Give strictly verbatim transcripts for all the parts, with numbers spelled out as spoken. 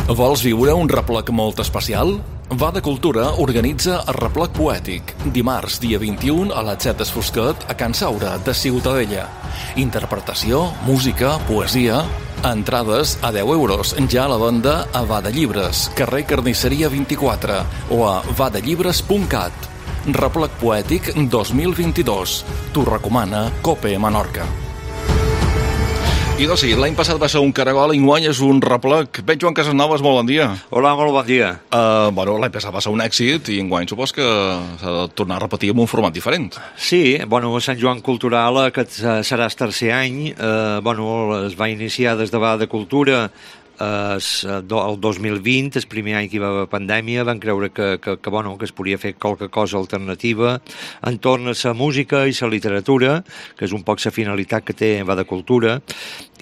Vols viure un replec molt especial? Va de Cultura organitza el replec poètic, dimarts, dia vint-i-u, a la Txetes Fosquet, a Can Saura, de Ciutadella. Interpretació, música, poesia... Entrades a deu euros, ja a la venda a Va de Llibres, carrer Carnisseria vint-i-quatre, o a va de llibres punt cat. Replec poètic dos mil vint-i-dos. T'ho recomana Cope Menorca. I doncs sí, l'any passat va ser un caragol i enguany és un replec. Ben Joan Casanovas, molt bon dia. Hola, molt bon dia. Uh, bueno, l'any passat va ser un èxit i enguany supos que s'ha de tornar a repetir amb un format diferent. Sí, bueno, Sant Joan Cultural, aquest serà el tercer any, eh, bueno, es va iniciar des de Va de Cultura eh, el dos mil vint, el primer any que hi va haver pandèmia, van creure que, que, que, bueno, que es podia fer qualque cosa alternativa entorn a la música i la literatura, que és un poc la finalitat que té Va de Cultura,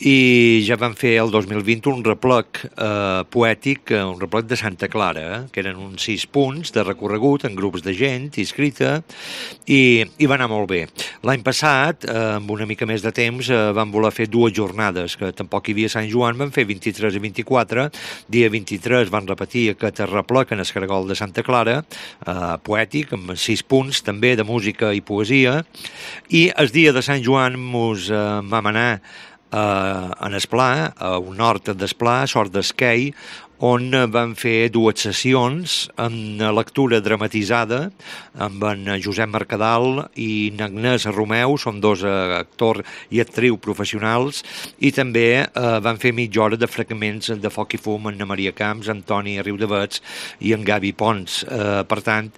i ja van fer el dos mil vint un replec eh, poètic, un replec de Santa Clara, eh, que eren uns sis punts de recorregut en grups de gent inscrita, i, i va anar molt bé. L'any passat, eh, amb una mica més de temps, eh, van voler fer dues jornades, que tampoc hi havia Sant Joan, van fer vint-i-tres i vint-i-quatre, dia vint-i-tres van repetir aquest replec en el caragol de Santa Clara, eh, poètic, amb sis punts també de música i poesia, i el dia de Sant Joan mos eh, vam anar Uh, en Esplà, a un nord d'Esplà, Sort d'Esquei, on van fer dues sessions amb lectura dramatitzada amb en Josep Mercadal i Agnès Romeu, són dos actors i actrius professionals, i també eh, van fer mitja hora de fragments de Foc i Fum amb Maria Camps, Antoni Riudavets i en Gavi Pons. Eh, per tant,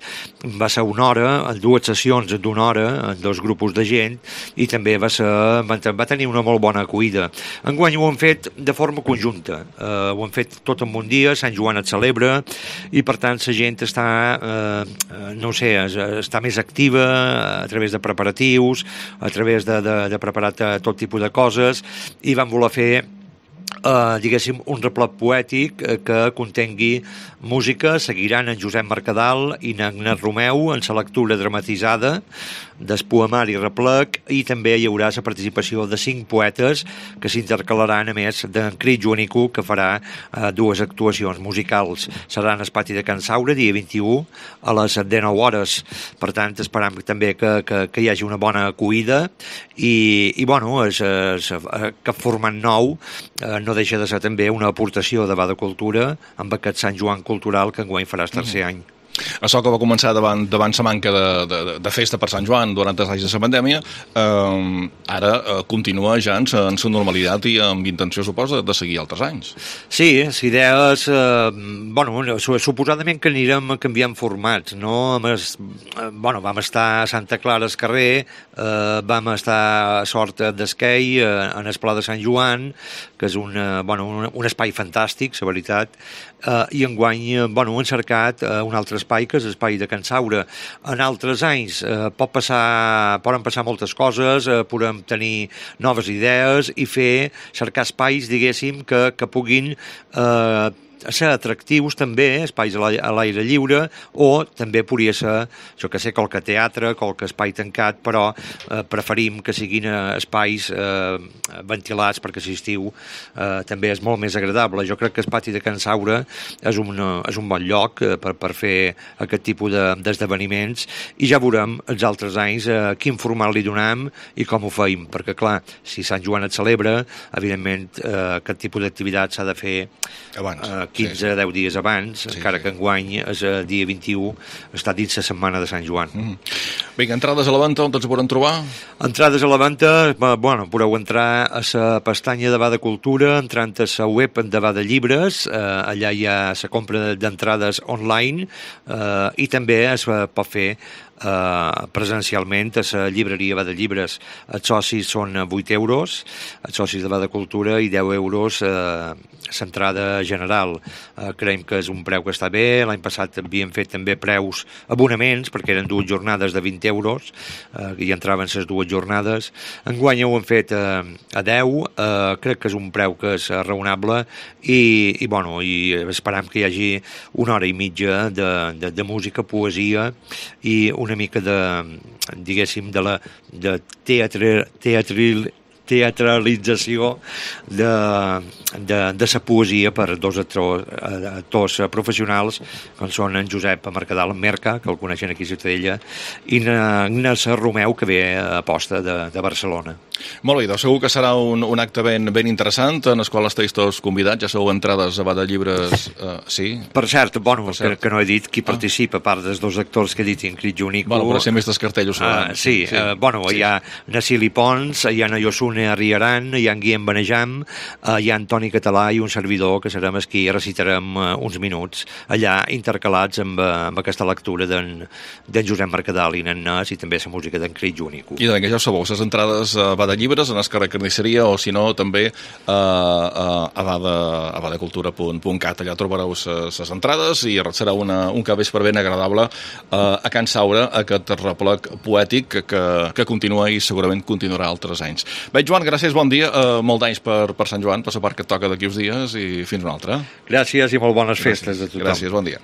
va ser una hora, dues sessions d'una hora, en dos grupos de gent, i també va, ser, va tenir una molt bona acollida. Enguany ho han fet de forma conjunta, eh, ho han fet tot en un dia, Sant Joan et celebra, i per tant la gent està, eh, no sé, està més activa a través de preparatius, a través de, de, de preparar tot tipus de coses, i van voler fer Uh, diguéssim, un replec poètic uh, que contengui música. Seguiran en Josep Mercadal i en Agnès Romeu en la lectura dramatitzada del poemari replec, i també hi haurà la participació de cinc poetes que s'intercalaran, a més d'en Crit Joanico, que farà uh, dues actuacions musicals. Seran al pati de Can Saura, dia vint-i-u, a les dinou hores. Per tant, esperam també que, que, que hi hagi una bona acollida, i, i bueno, és, és, aquest format nou uh, no deixa de ser també una aportació de Va de Cultura amb aquest Sant Joan Cultural que enguany farà el tercer any. Això que va començar davant, davant la manca de, de, de festa per Sant Joan durant els anys de la pandèmia, eh, ara eh, continua ja en la normalitat i amb intenció, suposa, de seguir altres anys. Sí, la idea és... Eh, bueno, suposadament que anirem canviant formats, no? Es, eh, bueno, vam estar a Santa Clara al carrer, eh, vam estar a Sort d'Esquei, eh, en el Pla de Sant Joan, que és un, eh, bueno, un, un espai fantàstic, la veritat, eh, i enguany eh, bueno, hem cercat eh, un altre espai, que és l'espai de Can Saura. En altres anys eh, pot passar, poden passar moltes coses, eh, podem tenir noves idees i fer, cercar espais, diguéssim, que, que puguin eh, ser atractius també, espais a l'aire lliure, o també podria ser, jo que sé, qualque teatre, qualque espai tancat, però eh, preferim que siguin espais eh, ventilats, perquè si estiu eh, també és molt més agradable. Jo crec que el pati de Can Saura és un, és un bon lloc eh, per, per fer aquest tipus de, d'esdeveniments, i ja veurem els altres anys eh, quin format li donem i com ho feim, perquè clar, si Sant Joan et celebra, evidentment eh, aquest tipus d'activitat s'ha de fer abans, eh, quinze a deu dies abans, sí, encara que enguany és el dia vint-i-u, està dins la setmana de Sant Joan. Mm. Vinga, entrades a la venda, on ens podran trobar? Entrades a la venda, bueno, podeu entrar a la pestanya de Va de Cultura, entrant a la web de Va de Llibres, eh, allà hi ha la compra d'entrades online, eh, i també es pot fer Uh, presencialment a la llibreria Va de Llibres. Els socis són vuit euros, els socis de Va de Cultura, i deu euros uh, l'entrada general. Uh, creiem que és un preu que està bé. L'any passat havíem fet també preus abonaments, perquè eren dues jornades de vint euros, uh, i entraven les dues jornades. Enguany ho hem fet uh, a deu, uh, crec que és un preu que és raonable, i, i, bueno, i esperam que hi hagi una hora i mitja de, de, de música, poesia i una mica de, diguéssim, de la de teatre, teatril, teatralització de, de, de sa poesia per dos actors, actors professionals, com són en Josep Mercadal Merca, que el coneixen aquí a Ciutadella, i Agnès Romeu, que ve a posta de, de Barcelona. Molt bé, doncs segur que serà un, un acte ben, ben interessant, en el qual esteu tots convidats, ja sou entrades a Bada Llibres, eh, sí? Per cert, bueno, per cert. Que, que no he dit qui ah. participa, a part dels dos actors que he dit, Ingrid Junico... Bueno, però ser més dels cartellos. Uh, sí, sí. Uh, bueno, sí. Hi ha Nacili Pons, hi ha Nayosune Arriaran, hi ha en Guillem Benejam, uh, hi ha Antoni Català i un servidor, que serem els qui recitarem uh, uns minuts, allà intercalats amb, uh, amb aquesta lectura d'en Josep Mercadal i Nannès, i també la música d'en Ingrid Junico. I doncs, ja ho sabeu, les entrades a Bada Llibres, en el carrer Carnisseria, o si no, també uh, uh, a badacultura punt cat, allà trobareu les entrades i serà una, un capvespre ben agradable uh, a Can Saura, aquest replec poètic que, que, que continua i segurament continuarà altres anys. Bé, Joan, gràcies, bon dia, uh, molt d'anys per, per Sant Joan, per la part que et toca d'aquí uns dies i fins una altra. Gràcies i molt bones festes gràcies, a tothom. Gràcies, bon dia.